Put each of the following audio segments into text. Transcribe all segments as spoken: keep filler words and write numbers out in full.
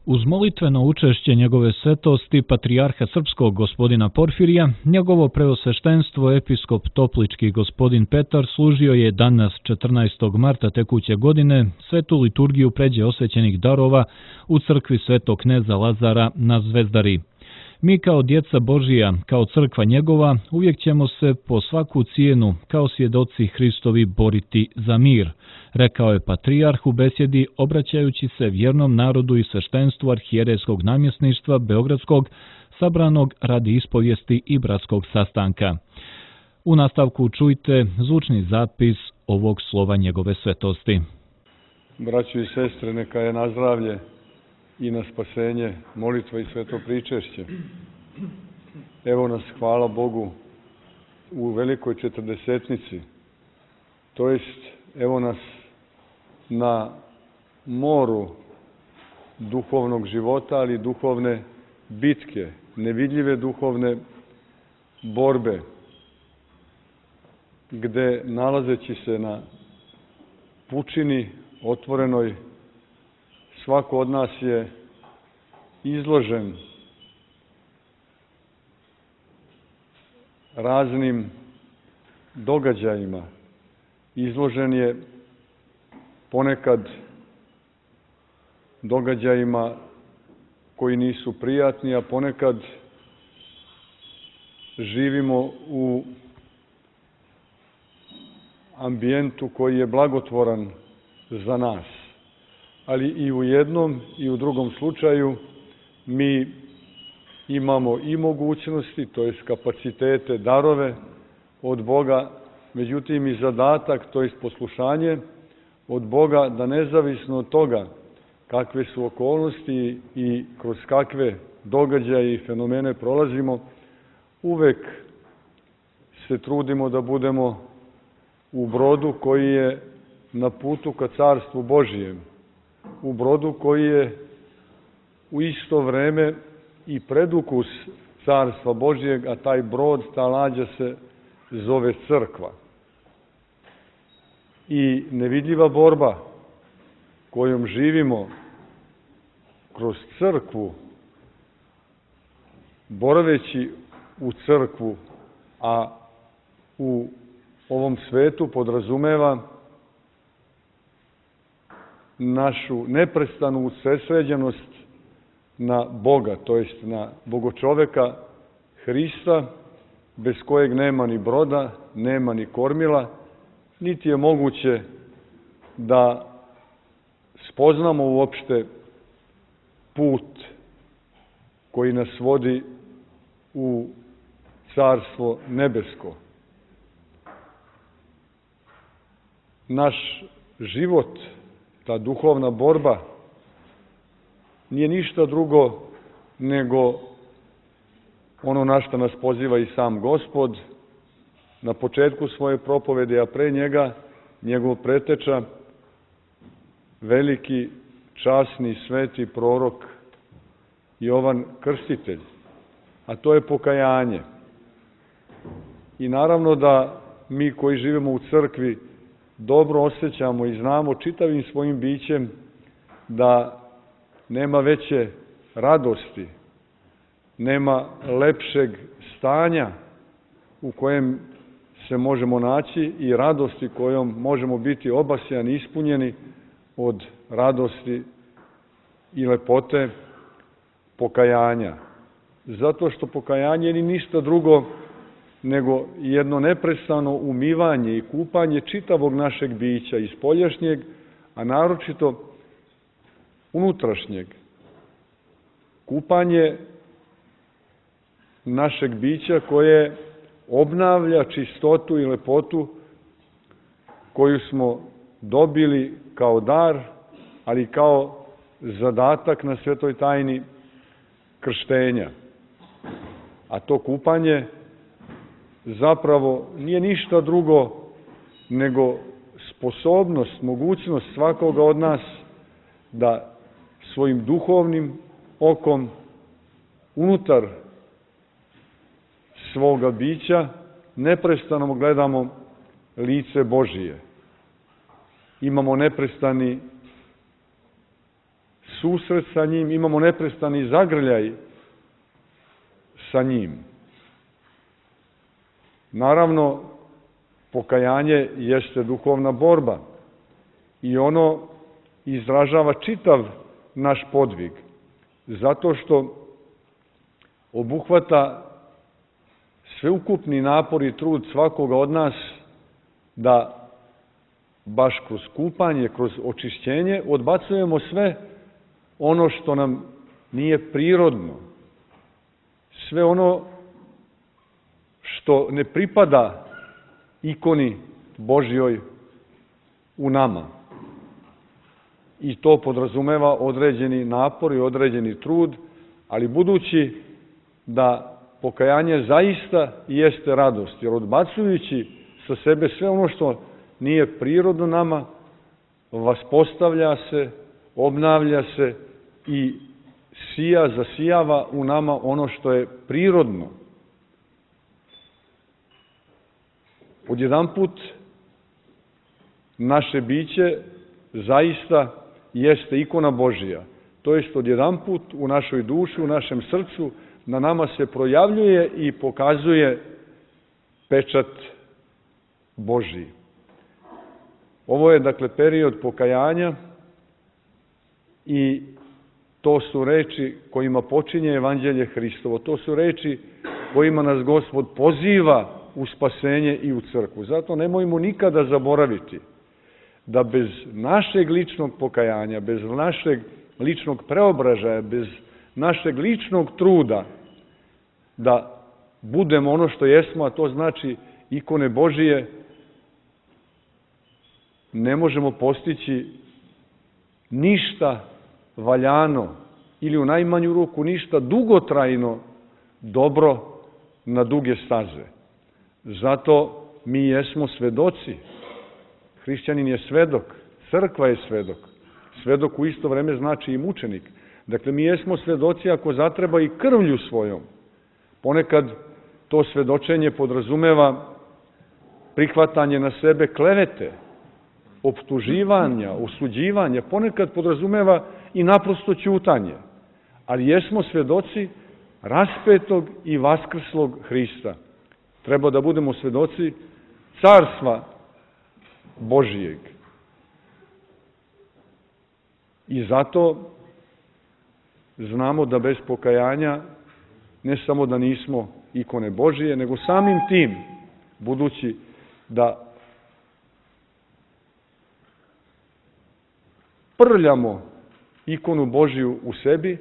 Uz molitveno učešće njegove svetosti, patrijarha srpskog gospodina Porfirija, njegovo preosveštenstvo episkop toplički gospodin Petar služio je danas četrnaestog marta tekuće godine svetu liturgiju pređe osvećenih darova u crkvi svetog kneza Lazara na Zvezdari. Mi kao djeca Božija, kao crkva njegova, uvijek ćemo se po svaku cijenu, kao svjedoci Hristovi, boriti za mir, rekao je patrijarh u besjedi obraćajući se vjernom narodu i sveštenstvu arhijerejskog namjesništva Beogradskog, sabranog radi ispovijesti i bratskog sastanka. U nastavku čujte zvučni zapis ovog slova njegove svetosti. Braćo i sestre, neka je na zdravlje i na spasenje molitva i sveto pričešće. Evo nas, hvala Bogu, u velikoj četrdesetnici, to jest evo nas na moru duhovnog života, ali duhovne bitke, nevidljive duhovne borbe, gde nalazeći se na pučini otvorenoj, svako od nas je izložen raznim događajima, izložen je ponekad događajima koji nisu prijatni, a ponekad živimo u ambijentu koji je blagotvoran za nas. Ali i u jednom i u drugom slučaju mi imamo i mogućnosti, to jest kapacitete, darove od Boga, međutim i zadatak, to jest poslušanje od Boga, da nezavisno od toga kakve su okolnosti i kroz kakve događaje i fenomene prolazimo, uvek se trudimo da budemo u brodu koji je na putu ka Carstvu Božijem, u brodu koji je u isto vreme i predukus Carstva Božijeg, a taj brod, ta lađa se zove crkva. I nevidljiva borba kojom živimo kroz crkvu, boraveći u crkvu, a u ovom svetu podrazumeva našu neprestanu usredsređenost na Boga, to jest na Bogočoveka Hrista, bez kojeg nema ni broda, nema ni kormila, niti je moguće da spoznamo uopšte put koji nas vodi u Carstvo nebesko. Naš život, ta duhovna borba, nije ništa drugo nego ono na što nas poziva i sam Gospod na početku svoje propovede, a pre njega njegov preteča, veliki, časni, sveti prorok Jovan Krstitelj, a to je pokajanje. I naravno da mi koji živimo u crkvi dobro osjećamo i znamo čitavim svojim bićem da nema veće radosti, nema lepšeg stanja u kojem se možemo naći i radosti kojom možemo biti obasjani, ispunjeni od radosti i lepote pokajanja. Zato što pokajanje ni ništa drugo nego jedno neprestano umivanje i kupanje čitavog našeg bića, i spoljašnjeg, a naročito unutrašnjeg. Kupanje našeg bića koje obnavlja čistotu i lepotu koju smo dobili kao dar, ali kao zadatak na svetoj tajni krštenja. A to kupanje zapravo nije ništa drugo nego sposobnost, mogućnost svakoga od nas da svojim duhovnim okom unutar svoga bića neprestano gledamo lice Božije. Imamo neprestani susret sa njim, imamo neprestani zagrljaj sa njim. Naravno, pokajanje jeste duhovna borba i ono izražava čitav naš podvig, zato što obuhvata sveukupni napor i trud svakoga od nas da baš kroz kupanje, kroz očišćenje odbacujemo sve ono što nam nije prirodno, sve ono što ne pripada ikoni Božjoj u nama. I to podrazumeva određeni napor i određeni trud, ali budući da pokajanje zaista jeste radost, jer odbacujući sa sebe sve ono što nije prirodno nama, vaspostavlja se, obnavlja se i sija, zasijava u nama ono što je prirodno. Odjedanput naše biće zaista jeste ikona Božija. To jest odjedanput u našoj duši, u našem srcu, na nama se projavljuje i pokazuje pečat Božji. Ovo je, dakle, period pokajanja i to su reči kojima počinje Evanđelje Hristovo. To su reči kojima nas Gospod poziva u spasenje i u crkvu. Zato nemojmo nikada zaboraviti da bez našeg ličnog pokajanja, bez našeg ličnog preobražaja, bez našeg ličnog truda da budemo ono što jesmo, a to znači ikone Božije, ne možemo postići ništa valjano ili u najmanju ruku ništa dugotrajno dobro na duge staze. Zato mi jesmo svedoci. Hrišćanin je svedok, crkva je svedok. Svedok u isto vreme znači i mučenik. Dakle, mi jesmo svedoci ako zatreba i krvlju svojom. Ponekad to svedočenje podrazumeva prihvatanje na sebe klevete, optuživanja, osuđivanja, ponekad podrazumeva i naprosto ćutanje. Ali jesmo svedoci raspetog i vaskrslog Hrista. Treba da budemo svedoci carstva Božijeg. I zato znamo da bez pokajanja ne samo da nismo ikone Božije, nego samim tim, budući da prljamo ikonu Božiju u sebi,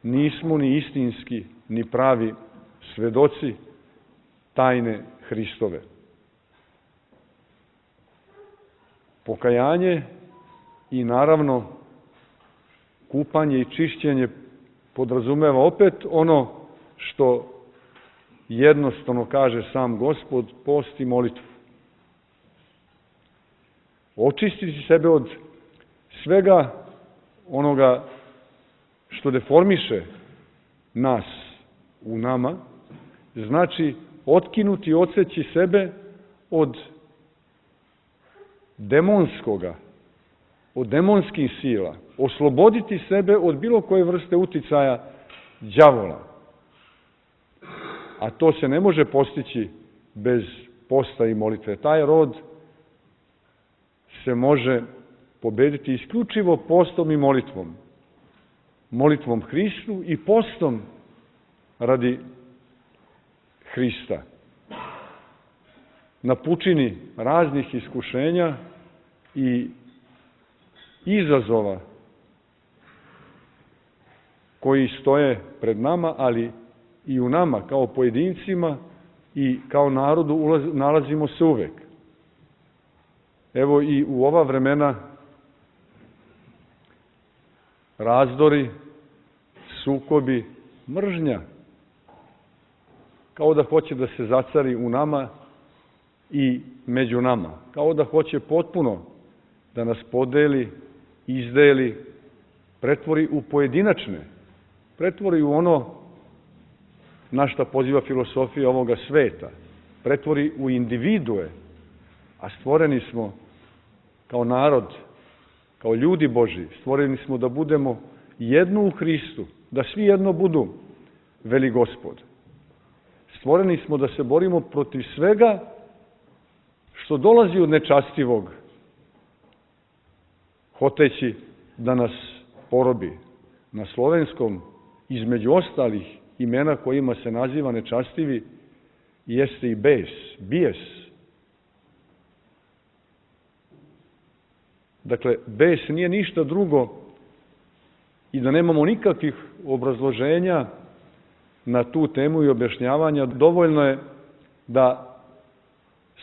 nismo ni istinski, ni pravi svedoci tajne Hristove. Pokajanje i naravno kupanje i čišćenje podrazumeva opet ono što jednostavno kaže sam Gospod, post i molitvu. Očistiti sebe od svega onoga što deformiše nas u nama, znači otkinuti i odseći sebe od demonskoga, od demonskih sila, osloboditi sebe od bilo koje vrste uticaja đavola. A to se ne može postići bez posta i molitve. Taj rod se može pobediti isključivo postom i molitvom. Molitvom Hristu i postom radi Hrista. Na pučini raznih iskušenja i izazova koji stoje pred nama, ali i u nama kao pojedincima i kao narodu ulaz, nalazimo se uvek. Evo i u ova vremena razdori, sukobi, mržnja, kao da hoće da se zacari u nama i među nama, kao da hoće potpuno da nas podeli, izdeli, pretvori u pojedinačne, pretvori u ono na šta poziva filosofija ovoga sveta, pretvori u individue, a stvoreni smo kao narod, kao ljudi Božji, stvoreni smo da budemo jedno u Hristu, da svi jedno budu, veli Gospod. Stvoreni smo da se borimo protiv svega što dolazi od nečastivog, hoteći da nas porobi. Na slovenskom, između ostalih imena kojima se naziva nečastivi, jeste i bes, bijes. Dakle, bes nije ništa drugo i da nemamo nikakvih obrazloženja na tu temu i objašnjavanja, dovoljno je da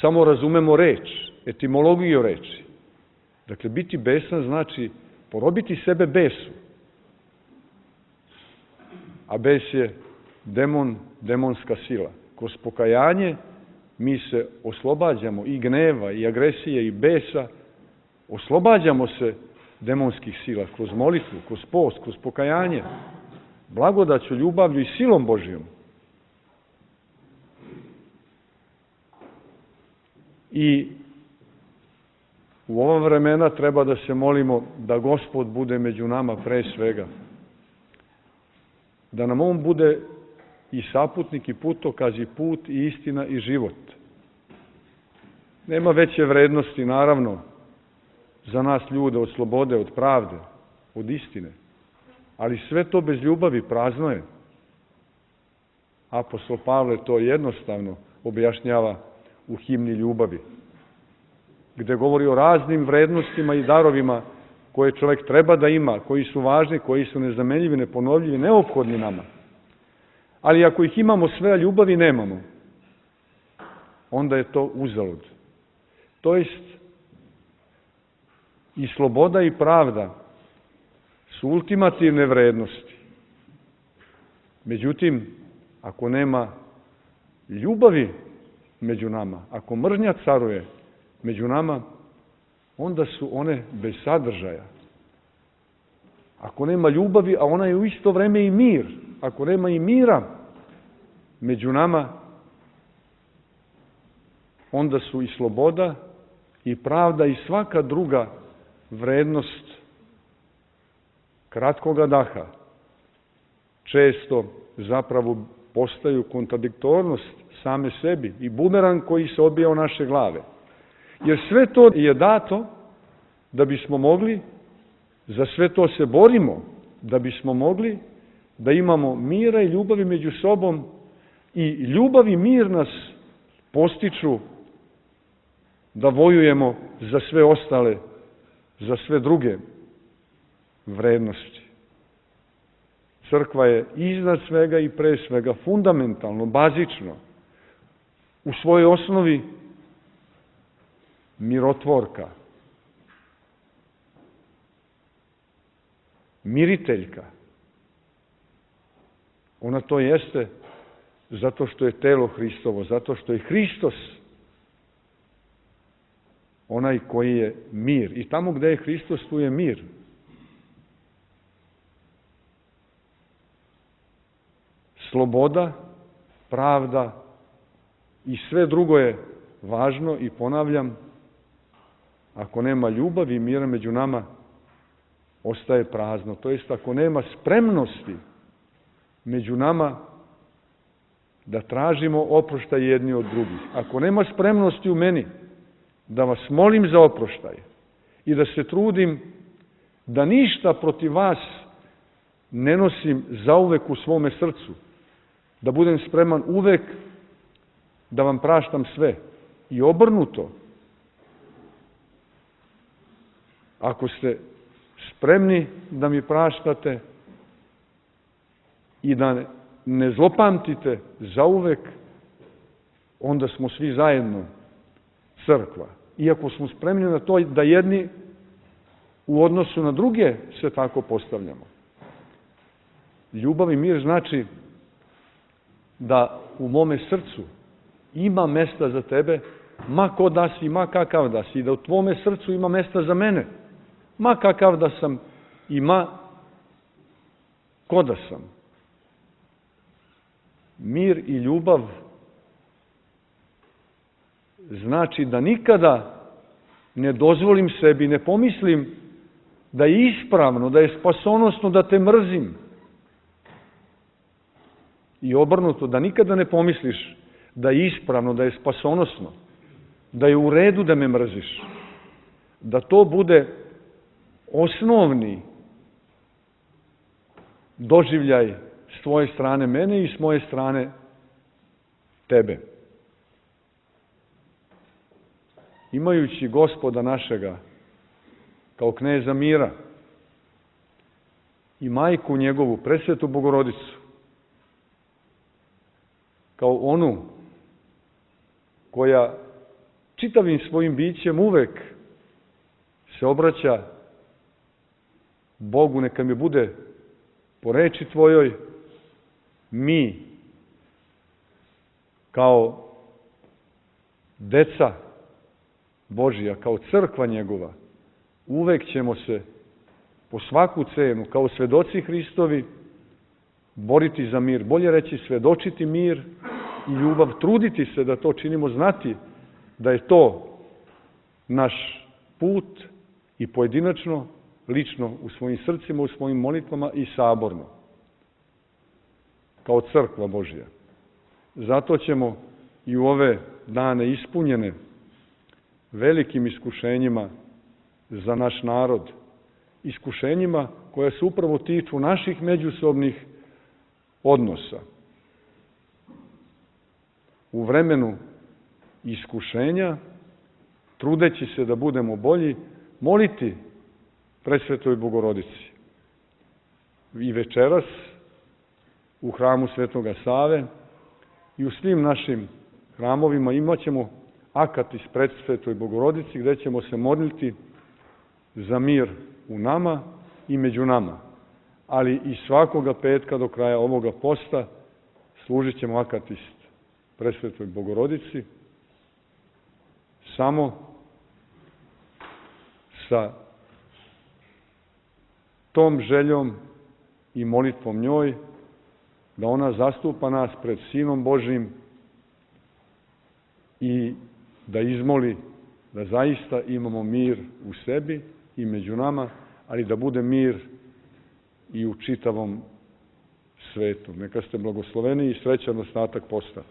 samo razumemo reč, etimologiju reči. Dakle, biti besan znači porobiti sebe besu. A bes je demon, demonska sila. Kroz pokajanje mi se oslobađamo i gneva, i agresije, i besa, oslobađamo se demonskih sila kroz molitvu, kroz post, kroz pokajanje, blagodaću, ljubavlju i silom Božijom. I u ova vremena treba da se molimo da Gospod bude među nama pre svega. Da nam On bude i saputnik, i putokaz, i put, i istina, i život. Nema veće vrednosti, naravno, za nas ljude od slobode, od pravde, od istine. Ali sve to bez ljubavi prazno je. Apostol Pavle to jednostavno objašnjava u himni ljubavi, gde govori o raznim vrednostima i darovima koje čovjek treba da ima, koji su važni, koji su nezamenljivi, neponovljivi, neophodni nama. Ali ako ih imamo sve, a ljubavi nemamo, onda je to uzalud. To jest, i sloboda i pravda su ultimativne vrednosti. Međutim, ako nema ljubavi među nama, ako mržnja caruje među nama, onda su one bez sadržaja. Ako nema ljubavi, a ona je u isto vreme i mir, ako nema i mira među nama, onda su i sloboda, i pravda, i svaka druga vrednost kratkoga daha. Često zapravo postaju kontradiktornost same sebi i bumerang koji se obija o naše glave. Jer sve to je dato da bismo mogli, za sve to se borimo, da bismo mogli da imamo mira i ljubavi među sobom, i ljubav i mir nas postiču da vojujemo za sve ostale, za sve druge vrednosti. Crkva je iznad svega i pre svega fundamentalno, bazično, u svojoj osnovi mirotvorka, miriteljka. Ona to jeste zato što je telo Hristovo, zato što je Hristos onaj koji je mir. I tamo gde je Hristos, tu je mir. Sloboda, pravda i sve drugo je važno, i ponavljam, ako nema ljubavi i mira među nama, ostaje prazno. To jest, ako nema spremnosti među nama da tražimo oproštaj jedni od drugih, ako nema spremnosti u meni da vas molim za oproštaj i da se trudim da ništa protiv vas ne nosim zauvek u svome srcu, da budem spreman uvek da vam praštam sve, i obrnuto. Ako ste spremni da mi praštate i da ne zlopamtite zauvek, onda smo svi zajedno crkva. Iako smo spremni na to da jedni u odnosu na druge se tako postavljamo. Ljubav i mir znači da u mome srcu ima mesta za tebe, ma ko da si, ma kakav da si, i da u tvome srcu ima mesta za mene, ma kakav da sam i ma ko da sam. Mir i ljubav znači da nikada ne dozvolim sebi, ne pomislim da je ispravno, da je spasonosno da te mrzim. I obrnuto, da nikada ne pomisliš da je ispravno, da je spasonosno, da je u redu da me mrziš. Da to bude osnovni doživljaj s tvoje strane mene i s moje strane tebe. Imajući Gospoda našega kao kneza mira i majku njegovu, presvetu Bogorodicu, kao onu koja čitavim svojim bićem uvek se obraća Bogu, neka mi bude po reči tvojoj, mi kao deca Božija, kao crkva njegova, uvek ćemo se po svaku cenu, kao svedoci Hristovi, boriti za mir. Bolje reći svedočiti mir i ljubav, truditi se da to činimo, znati da je to naš put i pojedinačno, lično u svojim srcima, u svojim molitvama i saborno, kao crkva Božja. Zato ćemo i u ove dane ispunjene velikim iskušenjima za naš narod, iskušenjima koja se upravo tiču naših međusobnih odnosa. U vremenu iskušenja, trudeći se da budemo bolji, moliti presvetoj Bogorodici. I večeras u hramu Svetoga Save i u svim našim hramovima imat ćemo akatis presvetoj Bogorodici gde ćemo se moliti za mir u nama i među nama. Ali i svakoga petka do kraja ovoga posta služit ćemo akatis presvetoj Bogorodici samo sa tom željom i molitvom njoj da ona zastupa nas pred Sinom Božim i da izmoli da zaista imamo mir u sebi i među nama, ali da bude mir i u čitavom svetu. Neka ste blagosloveni i srećan ostatak posta.